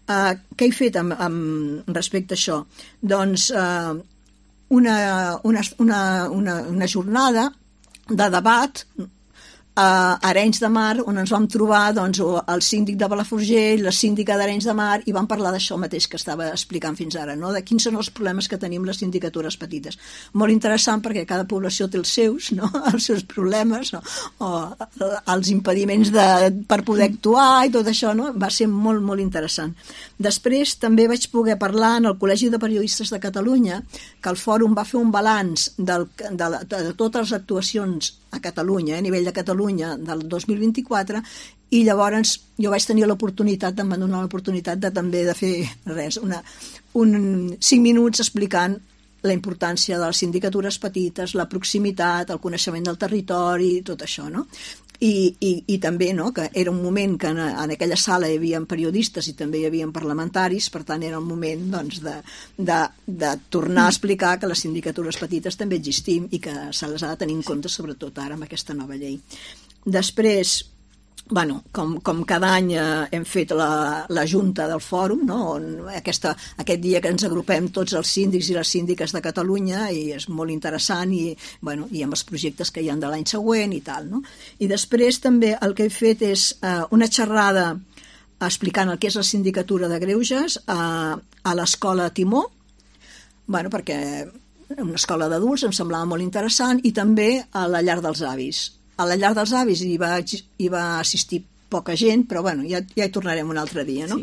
Què he fet respecte a això? Doncs una jornada de debat a Arenys de Mar, on ens vam trobar doncs, el síndic de Palafrugell, la síndica d'Arenys de Mar, i vam parlar d'això mateix que estava explicant fins ara, no? De quins són els problemes que tenim les sindicatures petites. Molt interessant perquè cada població té els seus, no? Els seus problemes, no? O els impediments per poder actuar i tot això, no? Va ser molt, molt interessant. Després també vaig poder parlar en el Col·legi de Periodistes de Catalunya, que el fòrum va fer un balanç de totes les actuacions a Catalunya, a nivell de Catalunya del 2024, i llavors jo vaig tenir l'oportunitat, em van donar l'oportunitat també de fer res, 5 minuts explicant la importància de les sindicatures petites, la proximitat, el coneixement del territori, tot això, no? I també, no?, que era un moment que en aquella sala hi havia periodistes i també hi havia parlamentaris, per tant era un moment doncs, de tornar a explicar que les sindicatures petites també existim i que se les ha de tenir en compte, sobretot ara amb aquesta nova llei. Després, bueno, com cada any hem fet la junta del fòrum, no? On aquest dia que ens agrupem tots els síndics i les síndiques de Catalunya, i és molt interessant, i amb els projectes que hi ha de l'any següent i tal, no? I després també el que he fet és una xerrada explicant el que és la sindicatura de greuges a l'escola Timó, perquè una escola d'adults em semblava molt interessant, i també a la llar dels avis. A la llar dels avis hi va assistir poca gent, però ja hi tornarem un altre dia, no? Sí,